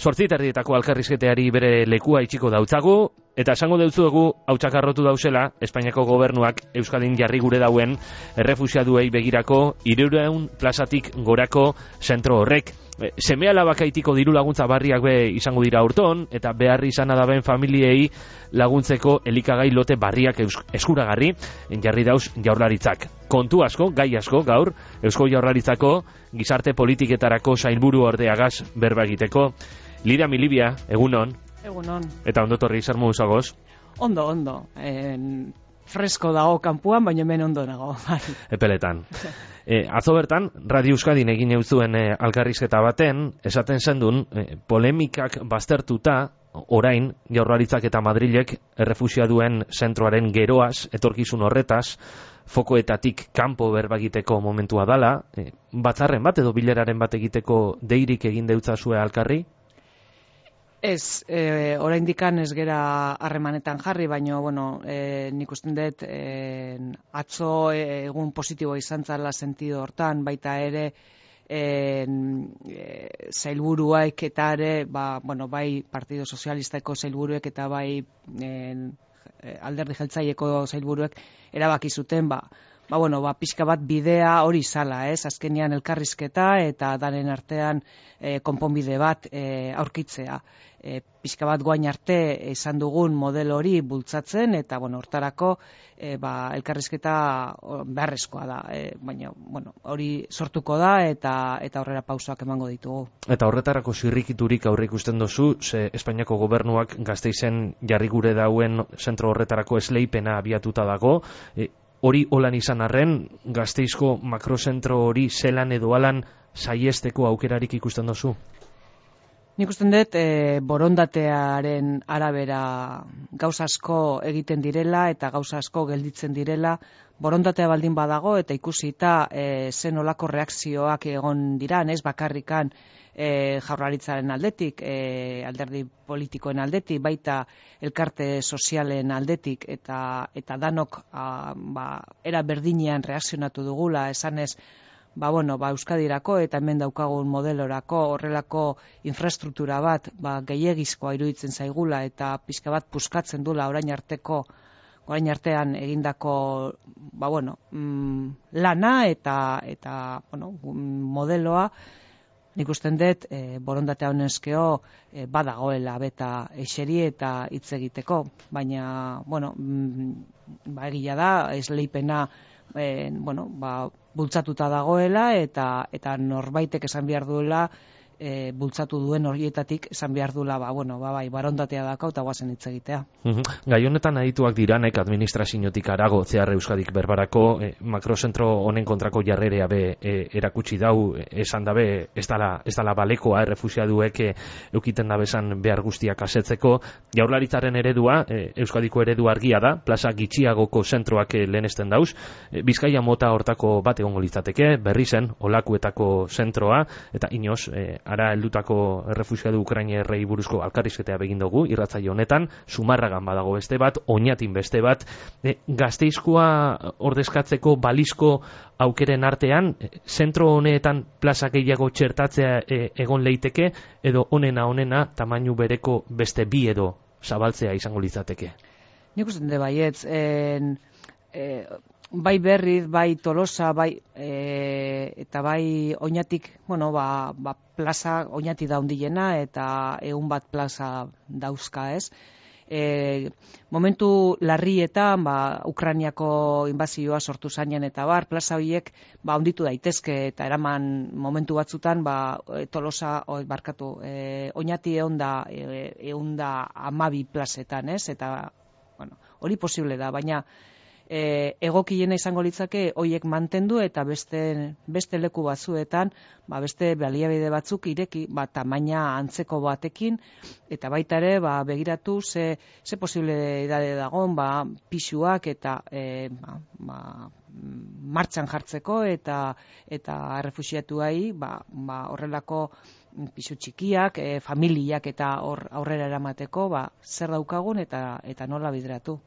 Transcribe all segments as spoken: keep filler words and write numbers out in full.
Zortzi terdietako alkarrizketeari bere lekua itxiko dautzagu, eta esango deutzuegu hautsakarrotu dausela Espainiako gobernuak Euskadin jarri gure dauen errefuxiaduei begirako hirurehun plazatik gorako zentro horrek. Seme alabakaitiko diru laguntza barriak be izango dira urton, eta beharri izan adaben familiei laguntzeko elikagai lote barriak eskuragarri jarri dauz jaurlaritzak. Kontu asko, gai asko gaur, Eusko Jaurlaritzako gizarte politiketarako sailburu ordeagaz berba egiteko. Lidia Milibia, egunon. Egunon. Eta ondotorri zer modu zagoz? Ondo, ondo. En, fresko dago kanpuan, baina hemen ondo nago. Epeletan. E, atzo bertan, Radio Euskadin egin euzuen e, alkarrizketa baten, esaten zendun, e, polemikak baztertuta, orain, Jaurlaritzak eta Madrilek errefuxiaduen zentroaren geroaz, etorkizun horretaz, fokoetatik kanpo berbagiteko momentua dala, e, batzarren bat edo bileraren bat egiteko deirik egin deutzazue alkarri? Ez, e, oraindikan ez gera harremanetan jarri, baina, bueno, e, nik usten dut e, atzo e, egun positibo izan zala sentido hortan, baita ere e, e, zailburuak eta ere, ba, bueno, bai Partido Sozialistako zailburuek eta bai e, alderdi jeltzaieko zailburuek erabaki zuten, ba, ba, bueno, ba, pixka bat bidea hori zala, ez? Azkenean elkarrizketa eta daren artean e, konponbide bat e, aurkitzea. E, pixka bat guain arte izan dugun modelo hori bultzatzen, eta, bueno, hortarako e, ba, elkarrizketa beharrezkoa da. E, baina, bueno, hori sortuko da eta eta aurrera pausoak emango ditugu. Eta horretarako zirrikiturik aurre ikusten dozu, ze Espainiako gobernuak Gasteizen jarri gure dauen zentro horretarako esleipena abiatuta dago, e, hori holan izan arren, Gasteizko makrozentro hori zelan edo alan saiesteko aukerarik ikusten dozu? Nik usten dut e, borondatearen arabera gauza asko egiten direla eta gauza asko gelditzen direla. Borondatea baldin badago eta ikusita e, zen olako reakzioak egon diran, ez bakarrikan e, Jaurlaritzaren aldetik, e, alderdi politikoen aldetik, baita elkarte sozialen aldetik, eta eta danok a, ba, era berdinean reakzionatu dugula, esanez, ba, bueno, ba, Euskadirako eta hemen daukagun modelorako horrelako infrastruktura bat ba, gehiegizkoa iruditzen zaigula eta pixka bat puskatzen dula orain arteko orain artean egindako ba, bueno, mm, lana eta eta bueno, modeloa. Nik usten dut e, borondatea honezkeo e, badagoela beta eseri eta hitz egiteko, baina bueno, mm, ba, egia da esleipena e, bueno, ba, bultzatuta dagoela eta eta norbaitek esan behar duela e, bultzatu duen horietatik esan behar duela, ba, bueno, ba, bai, barondatea dakau eta guazen hitz egitea. Uhum. Gai honetan adituak diranek administraziotik arago zehar Euskadik berbarako e, makrozentro honen kontrako jarrerea be e, erakutsi dau, e, esan dabe ez dala, ez dala balekoa errefuxiaduek e, eukiten dabezan behar guztiak asetzeko. Jaurlaritzaren eredua, e, Euskadiko eredu argia da, plaza gitxiagoko zentroak e, lehenesten dauz, e, Bizkaia mota hortako bat egongo litzateke, berri zen olakuetako zentroa, eta inoz, e, ara heldutako errefuxiadu ukrainerrei buruzko alkarrizketea begin dugu irratzaio honetan, Zumarragan badago beste bat, Oñatin beste bat, e, Gasteizkoa ordezkatzeko balizko aukeren artean, e, zentro honetan plaza gehiago txertatzea e, egon leiteke, edo honena honena tamainu bereko beste bi edo zabaltzea izango litzateke. Nik uste dut baietz, en, e, bai Berriz, bai Tolosa, bai e, eta bai Oñatik, bueno, ba, ba plaza Oñati da hundiena eta ehun bat plaza dauzka, ez? E, momentu larrietan, ba, Ukrainiako inbazioa sortu zainen eta bar, plaza horiek ba hunditu daitezke eta eraman momentu batzutan, ba, Tolosa, o, barkatu, e, Oñati ehun da e, ehun da hamabi plazetan, ez? Eta, bueno, hori posible da, baina E, egokiena izango litzake hoiek mantendu eta beste beste leku batzuetan, ba beste baliabide batzuk ireki, ba tamaina antzeko batekin eta baita ere ba begiratu ze ze posibilitate dagoen ba pisuak eta e, ba, ba, martxan jartzeko eta eta errefuxiatuei ba, ba horrelako pisu txikiak, e, familiak eta hor aurrera eramateko ba zer daukagun eta eta nola bideratu.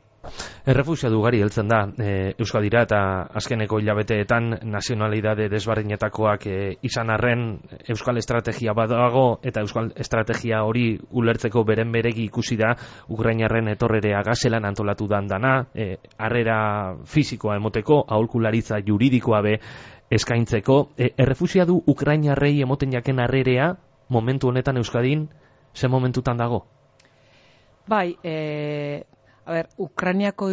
Errefuxiatu ugari heltzen da e, Euskadira eta azkeneko hilabeteetan nazionalidade desberdinetakoak e, izan arren euskal estrategia badago eta euskal estrategia hori ulertzeko beren beregi ikusi da ukrainarren etorrerea gazelan antolatu dan dana, e, harrera fisikoa emoteko, aholkularitza juridikoa be eskaintzeko. E, errefuxiatu ukrainarrei emoten jaken harrerea momentu honetan Euskadin ze momentutan dago? Bai, e... A ber, Ukrainiako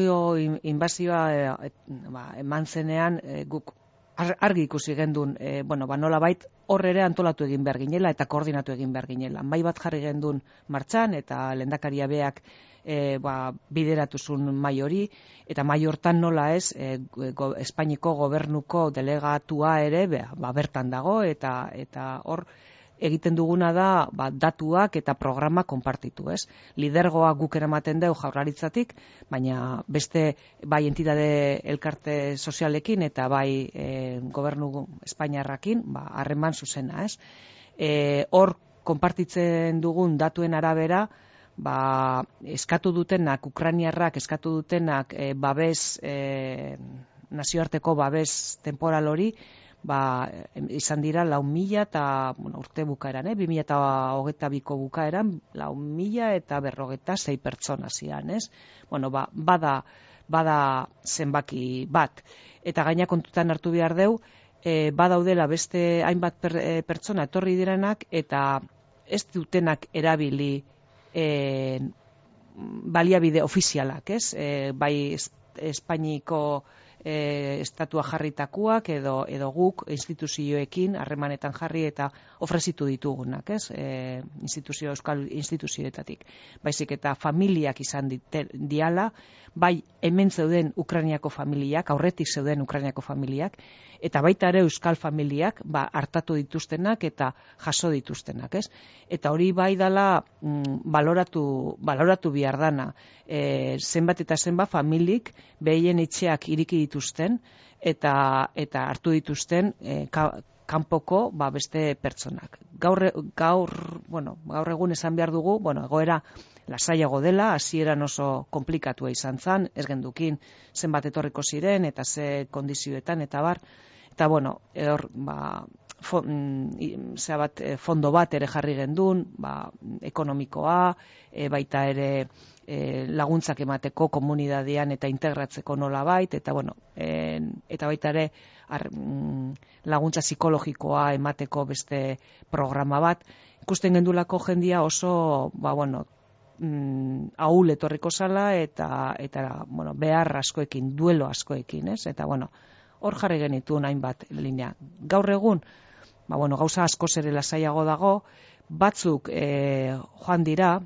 inbazioa e, ba, eman zenean e, guk argi ikusi gendun, e, bueno, ba, nola bait horre ere antolatu egin behar ginela eta koordinatu egin behar ginela. Mai bat jarri gendun martxan eta lehendakaria beak e, ba, bideratuzun mai hori, eta mai hortan nola ez, e, go, Espainiko gobernuko delegatua ere be, ba, bertan dago eta eta hor egiten duguna da ba, datuak eta programa konpartitu, ez? Lidergoa guk eramaten deu Jaurlaritzatik, baina beste bai entidade elkarte sozialekin eta bai e, gobernu Espainiarrakin, ba harreman zuzena, ez? E, hor konpartitzen dugun datuen arabera, ba eskatu dutenak Ukrainiarrak eskatu dutenak e, babes e, nazioarteko babes temporal hori ba, izan dira lau mila eta bueno, urte bukaeran, eh? bi mila eta hogeita biko bukaeran, lau mila eta berrogeta sei pertsona zian, ez? Bueno, ba, bada, bada zenbaki bat. Eta gaina kontutan hartu behar deu, e, badaudela beste hainbat per, e, pertsona etorri direnak, eta ez dutenak erabili e, baliabide ofizialak, ez? E, bai Espainiko E, estatua jarritakoak edo edo guk instituzioekin harremanetan jarri eta ofrezitu ditugunak, ez? E, instituzio euskal instituzioetatik. Baizik eta familiak izan dite, diala, bai hemen zeuden Ukrainiako familiak, aurretik zeuden Ukrainiako familiak, eta baita ere euskal familiak ba, hartatu dituztenak eta jaso dituztenak, ez? Eta hori bai dala mm, baloratu, baloratu behar dana. E, zenbat eta zenbat familik behien etxeak iriki dituzten eta eta hartu dituzten e, ka, kanpoko ba, beste pertsonak. Gaur, gaur, bueno, gaur egun esan behar dugu, bueno, egoera lasaiago dela, hasieran oso komplikatua izan zen, ez gendukin zenbat etorriko ziren eta ze kondizioetan eta bar, eta bueno, hor, ba, zera bat, fondo bat ere jarri gendun, ba, ekonomikoa, e, baita ere e, laguntzak emateko komunidadean eta integratzeko nola bait, eta bueno, e, eta baita ere ar, laguntza psikologikoa emateko beste programa bat. Ikusten gendulako jendia oso, ba bueno, mm, ahul etorriko zala eta, eta bueno, behar askoekin, duelo askoekin, ez? Eta bueno, hor jarri genitu hainbat linea. Gaur egun, ba bueno, gauza asko ere lasaiago dago, batzuk e, joan dira,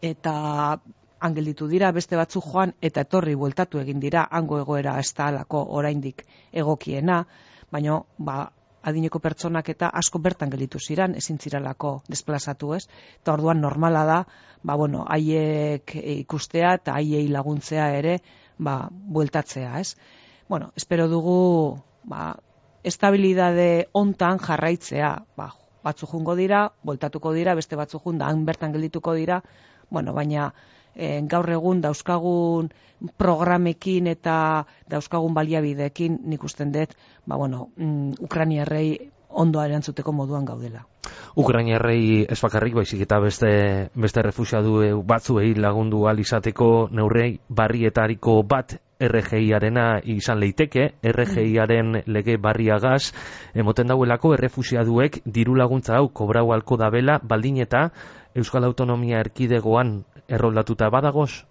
eta angelditu dira, beste batzuk joan eta etorri bueltatu egin dira, hango egoera ez da alako oraindik egokiena, baina ba, adineko pertsonak eta asko bertan gelditu ziran, ezin ziralako desplazatu, ez? Eta orduan normala da, ba bueno, haiek ikustea eta haiei laguntzea ere, ba bueltatzea, ez? Bueno, espero dugu, ba estabilidade hontan jarraitzea, ba batzu jungo dira, bueltatuko dira, beste batzu jun da han bertan geldituko dira. Bueno, baina e, gaur egun dauzkagun programekin eta dauzkagun baliabideekin nik usten dut, ba bueno, mm, Ukrainiarrei ondo erantzuteko moduan gaudela. Ukrainiarrei ez bakarrik baizik eta beste beste refuxiatu batzuei lagundu ahal izateko neurri barrietariko bat R G I-arena izan leiteke, R G I-aren lege barriagaz, emoten dauelako errefuxiatuek diru laguntza hau kobrau halko dabela, baldin eta Euskal Autonomia Erkidegoan erroldatuta badagoz?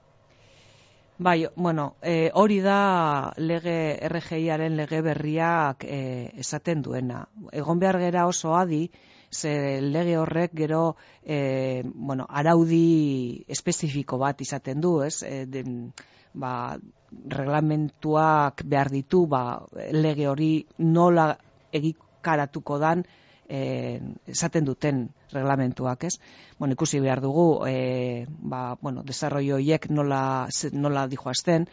Bai, bueno, e, hori da lege R G I-aren lege berriak e, esaten duena. Egon behar gera oso adi, ze lege horrek gero e, bueno, araudi espezifiko bat izaten du, ez? E, de, ba, reglamentuak behar ditu, ba, lege hori nola egikaratuko dan e, esaten duten reglamentuak, ez? Bueno, ikusi behar dugu, e, ba, bueno, desarrollo horiek nola, nola dijoazten,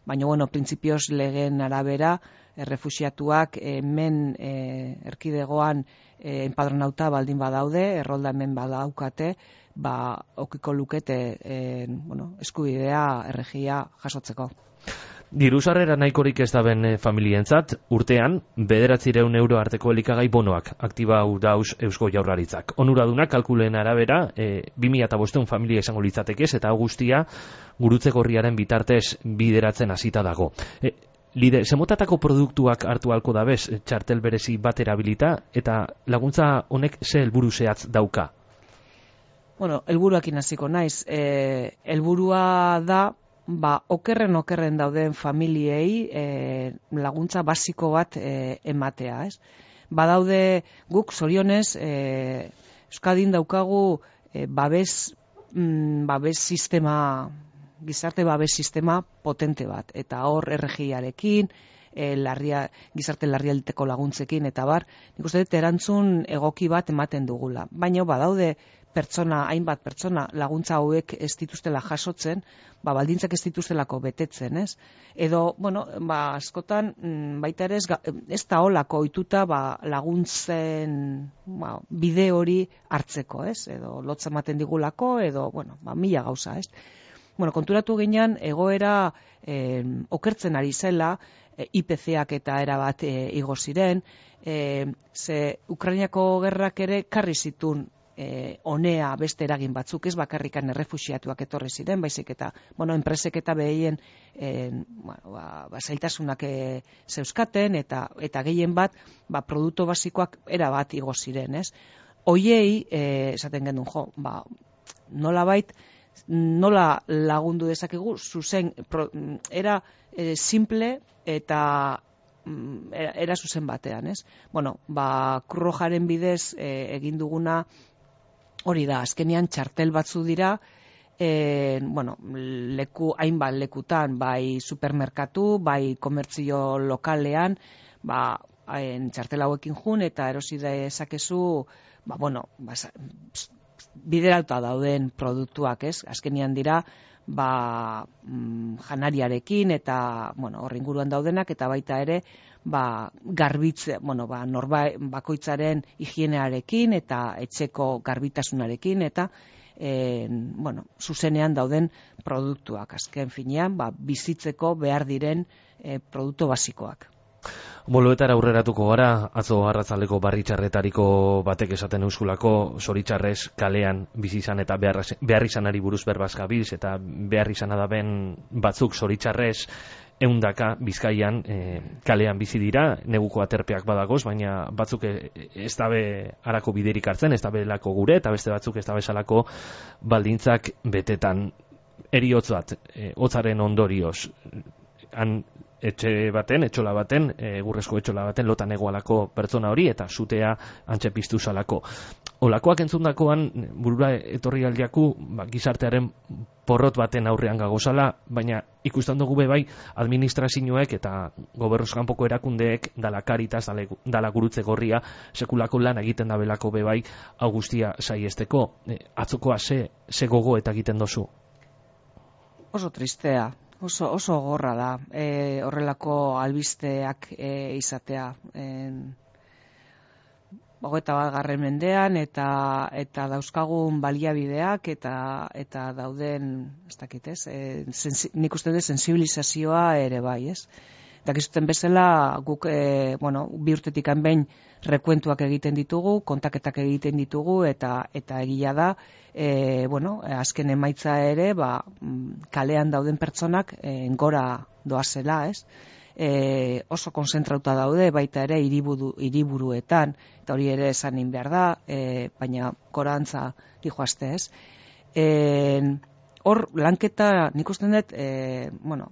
baina, bueno, printzipioz legeen arabera, errefuxiatuak hemen e, erkidegoan e, enpadronauta baldin badaude, errolda hemen badaukate, ba, okiko lukete e, bueno, eskubidea erregia jasotzeko. Diru sarrera nahikorik ez daben e, familientzat, urtean, bederatzireun euro arteko elikagai bonoak aktibau dauz Eusko Jaurlaritzak. Onuradunak kalkulen arabera, e, bi mila bostehun familia izango litzatekez, eta guztia gurutze gorriaren bitartez bideratzen hasita dago. E, Lide, zemotatako produktuak hartu halko dabez, txartel berezi bat erabilita, eta laguntza honek ze helburu zehatz dauka? Bueno, helburuakin hasiko naiz. E, helburua da, ba, okerren okerren dauden familiei e, laguntza basiko bat e, ematea, ez? Badaude guk zorionez, e, Euskadin daukagu e, babes, mm, babes sistema, gizarte babes sistema potente bat, eta hor erregiarekin, e, larria, gizarte larrialdeko laguntzekin, eta bar, nik uste dut erantzun egoki bat ematen dugula. Baina badaude pertsona, hainbat pertsona laguntza hauek ez dituztela jasotzen, ba, baldintzak ez dituztelako betetzen, ez? Edo, bueno, ba, askotan, baita ere ez, ez da holako ohituta ba, laguntzen ba, bide hori hartzeko, ez? Edo lotza ematen digulako, edo, bueno, ba, mila gauza, ez? Bueno, konturatu ginean, egoera eh, okertzen ari zela, eh, I P C-ak eta erabat eh, igo ziren, eh, ze Ukrainako gerrak ere karri zitun eh, onea beste eragin batzuk, ez bakarrikan errefuxiatuak etorri ziren, baizik eta, bueno, enpresek eta behien eh, bueno, ba, ba, zailtasunak eh, zeuzkaten, eta, eta gehien bat, ba, produktu basikoak erabat igo ziren, ez? Hoiei, eh, esaten genuen, jo, ba, nolabait, nola lagundu dezakegu, zuzen, pro, era e, simple eta era, era zuzen batean, ez? Bueno, ba, Krujaren bidez e, egin duguna hori da, azkenean txartel batzu dira, e, bueno, leku, hainbat lekutan, bai supermerkatu, bai komertzio lokalean, ba, hain txartel hauekin jun, eta erosi dezakezu, ba, bueno, ba, biderauta dauden produktuak, ez? Azkenian dira, ba, mm, janariarekin eta, bueno, hor inguruan daudenak, eta baita ere, ba, garbitze, bueno, ba, norba, bakoitzaren higienearekin eta etxeko garbitasunarekin, eta, e, bueno, zuzenean dauden produktuak. Azken finean, ba, bizitzeko behar diren e, produktu basikoak. Boloetara aurreratuko gara, atzo arratzaldeko barritxarretariko batek esaten euskulako, zoritxarrez kalean bizi izan eta behar, behar izanari buruz berbaz gabiz, eta behar izan adaben batzuk zoritxarrez eundaka Bizkaian e, kalean bizi dira, neguko aterpeak badagoz, baina batzuk ez dabe harako biderik hartzen, ez dabe lako gure, eta beste batzuk ez dabe salako baldintzak betetan. Eriotz bat, e, hotzaren ondorioz, han etxe baten, etxola baten, egurrezko etxola baten lotan egoalako pertsona hori, eta zutea antxe piztu zalako. Olakoak entzundakoan, burura etorri aldiaku, ba, gizartearen porrot baten aurrean gagozala, baina ikusten dugu be bai, administrazioek eta gobernuz kanpoko erakundeek, dala Karitas, dala, dala Gurutze Gorria, sekulako lan egiten dabelako be bai, hau guztia saiesteko. E, atzokoa ze, ze gogo eta egiten dozu? Oso tristea. Oso, oso gorra da, e, horrelako albisteak e, izatea. Hogeita bat garren mendean, eta, eta dauzkagun baliabideak, eta, eta dauden, ez dakit ez, e, sensi, nik uste dut sensibilizazioa ere bai, ez? Dakizuten bezala, guk, e, bueno, bi urtetik behin rekuentuak egiten ditugu, kontaketak egiten ditugu, eta eta egia da, e, bueno, azken emaitza ere, ba, kalean dauden pertsonak e, gora doazela, ez? E, oso konzentrauta daude, baita ere hiriburu, hiriburuetan, eta hori ere esanin behar da, e, baina gorantza dijoazte, ez? E, Hor, lanketa, nik usten dut, e, bueno,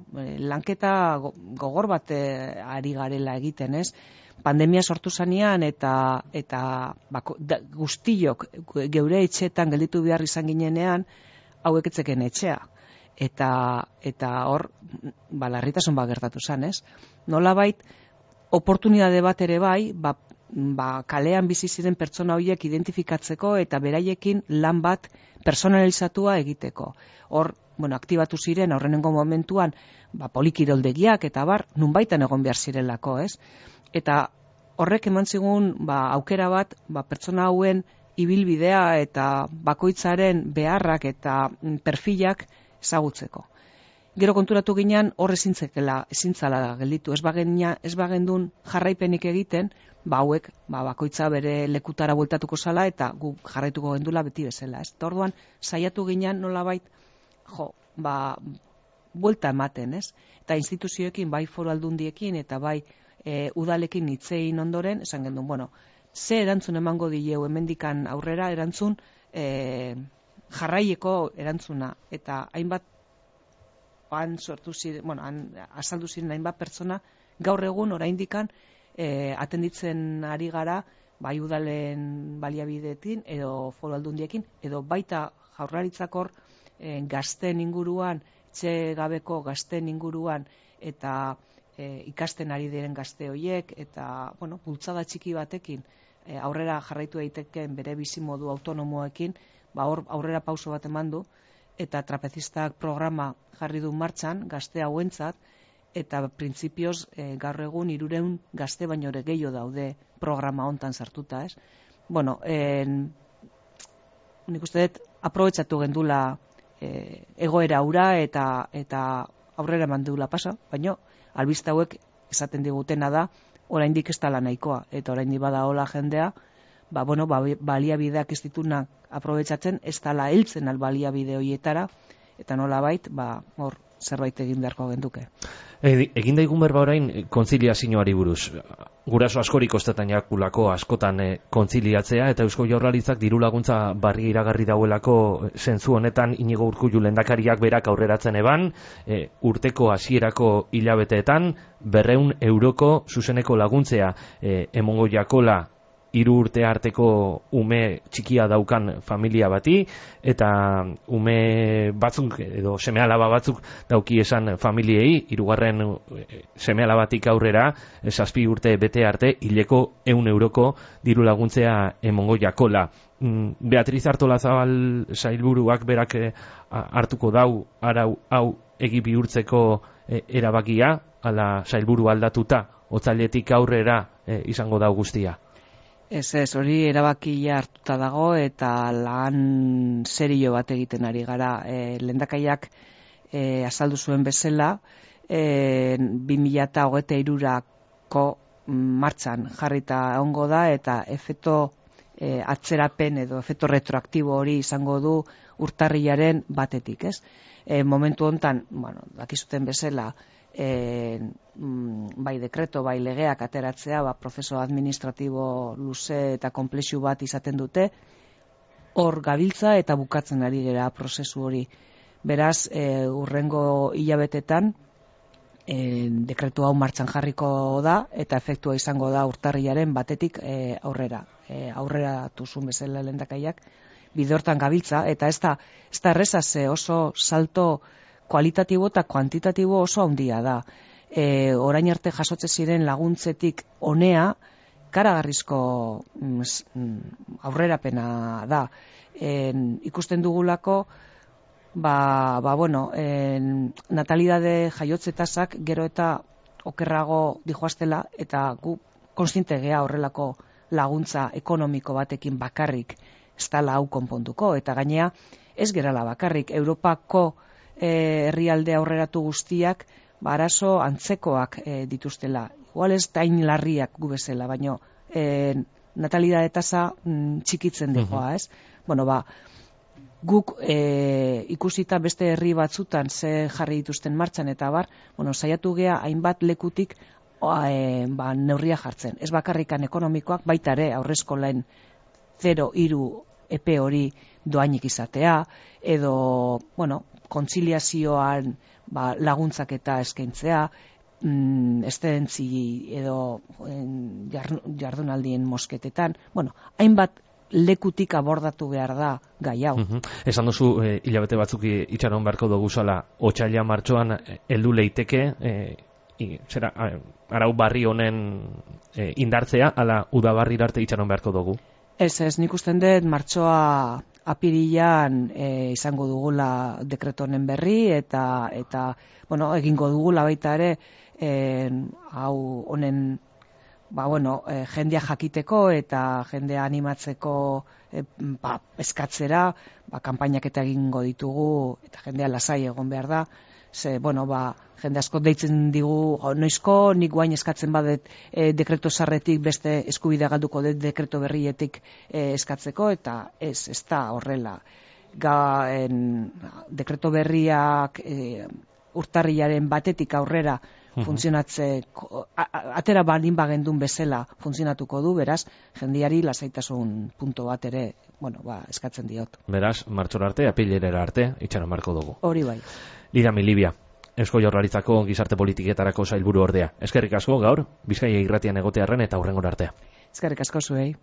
lanketa gogor bat e, ari garela egiten, ez? Pandemia sortu zanean eta eta bako, da, guztiok geure etxeetan gelditu behar izan ginenean, hauek etzeken etxea. Eta, eta hor, ba, larritasun bat gertatu zen, ez? Nolabait, oportunitate bat ere bai, ba, ba, kalean bizi ziren pertsona horiek identifikatzeko eta beraiekin lan bat personalizatua egiteko. Hor, bueno, aktibatu ziren aurrenengo momentuan, ba, polikiroldegiak eta bar, nunbaitan egon behar zirelako, ez? Eta horrek eman zigun, ba, aukera bat, ba, pertsona hauen ibilbidea eta bakoitzaren beharrak eta perfilak ezagutzeko. Gero konturatu ginean hor ezintzekela, ezintzala gelditu, ez bagenia, ez bagendun jarraipenik egiten, ba hauek, ba bakoitza bere lekutara bueltatuko zala eta gu jarraituko gendula beti bezala, ez? Orduan saiatu ginean nolabait, jo, ba buelta ematen, ez? Eta instituzioekin, bai foru aldundiekin eta bai e, udalekin hitzein ondoren, esan gendun, bueno, ze erantzun emango dileu hemendikan aurrera erantzun e, jarraieko erantzuna eta hainbat han sortu ziren, bueno, han azaldu ziren hainbat pertsona gaur egun oraindikan e, atenditzen ari gara bai udalen baliabideekin edo foru aldundiekin edo baita jaurlaritzakor e, gazten inguruan, etxe gabeko gazten inguruan eta e, ikasten ari diren gazte horiek eta, bueno, bultzada txiki batekin e, aurrera jarraitu daiteken bere bizimodu autonomoekin, ba hor aurrera pauso bat eman du eta trapezistak programa jarri du martxan gazte hauentzat eta printzipioz e, gaur egun hirurehun gazte baino ere gehiago daude programa hontan sartuta, ez? Bueno, en, nik uste dut aprobetxatu gendula e, egoera hura eta eta aurrera eman duela pasa, baino albiste hauek esaten digutena da oraindik ez dela nahikoa eta oraindik bada hola jendea, ba bueno, ba, baliabideak ez ditunak aprobetxatzen, ez dela heltzen al baliabide horietara eta nolabait, ba hor zerbait egin beharko genduke. E, egin daigun berba orain kontziliazioari buruz. Guraso askorik kostetan jakulako askotan e, kontziliatzea eta Eusko Jaurlaritzak diru laguntza barri iragarri dauelako zentzu honetan Inigo Urkullu lehendakariak berak aurreratzen eban, e, urteko hasierako hilabeteetan berrehun euroko zuzeneko laguntzea e, emongo jakola hiru urte arteko ume txikia daukan familia bati eta ume batzuk edo seme-alaba batzuk dauki esan familiei hirugarren seme-alabatik aurrera zazpi urte bete arte hileko ehun euroko diru laguntzea emongo jakola. Beatriz Artolazabal sailburuak berak hartuko dau arau hau egi bihurtzeko erabakia, ala sailburu aldatuta otsailetik aurrera izango da guztia. Ez ez, hori erabakia hartuta dago eta lan serio bat egiten ari gara. E, lehendakaiak e, azaldu zuen bezala, e, bi mila hogeita hirurako martxan jarrita ongo da eta efekto e, atzerapen edo efekto retroaktibo hori izango du urtarrilaren batetik, ez? E, momentu hontan, bueno, dakizuten bezala, E, bai dekreto, bai legeak ateratzea, ba, prozeso administratibo luze eta konplexu bat izaten dute, hor gabiltza eta bukatzen ari gera prozesu hori. Beraz, e, urrengo hilabetetan e, dekretu hau martxan jarriko da eta efektua izango da urtarrilaren batetik e, aurrera. E, aurrera tuzun bezala lehendakaiak bide hortan gabiltza eta ez da, ez da erreza ze oso salto kualitatibo eta kuantitatibo oso handia da. E, orain arte jasotze ziren laguntzetik honea karagarrizko mm, aurrerapena da. E, ikusten dugulako ba, ba bueno, e, natalidade jaiotze tasak gero eta okerrago dijoaztela eta gu kontziente gea horrelako laguntza ekonomiko batekin bakarrik ez dela hau konponduko eta gainea ez gerala bakarrik Europako herrialde aurreratu guztiak ba, arazo antzekoak e, dituztela. Igual ez tain larriak gu bezala, baino e, natalidade tasa mm, txikitzen dijoa, ez? Bueno, ba, guk e, ikusita beste herri batzutan ze jarri dituzten martxan eta bar, bueno, saiatu gea hainbat lekutik e, ba, neurria jartzen. Ez bakarrikan ekonomikoak, baita ere aurreskolaen zero hiru epe hori doainik izatea, edo, bueno, kontziliazioan ba, laguntzak eta eskaintzea, mm, estentzi edo en, jardunaldien mosketetan, bueno, hainbat lekutik abordatu behar da gai hau. Uh-huh. Esan duzu, eh, hilabete batzuk itxaron beharko dugu zala, otsaila martxoan heldu leiteke, eh, i, zera, arau barri honen eh, indartzea, ala udabarri arte itxaron beharko dugu? Ez ez, nik usten dut martxoa apirilan e, izango dugula dekreto honen berri eta eta bueno, egingo dugula baita ere e, hau honen ba, bueno, e, jendea jakiteko eta jendea animatzeko e, ba, eskatzera, ba, kanpainak eta egingo ditugu eta jendea lasai egon behar da. Ze, bueno, ba, jende asko deitzen digu, noizko nik guain eskatzen badet e, dekreto sarretik beste eskubidea galduko dut dekreto berrietik e, eskatzeko, eta ez, ez da horrela. Ga, en, dekreto berriak e, urtarrilaren batetik aurrera funtzionatzeko, atera baldin bagendun bezala funtzionatuko du, beraz, jendiari lasaitasun punto bat ere, bueno, ba, eskatzen diot. Beraz, martxora arte, apilera arte, itxaron marko dugu. Hori bai. Lira Milibia, Eusko Jaurlaritzako gizarte politiketarako sailburu ordea. Eskerrik asko gaur, Bizkaia irratian egotearren eta hurrengora artea. Eskerrik asko zuei.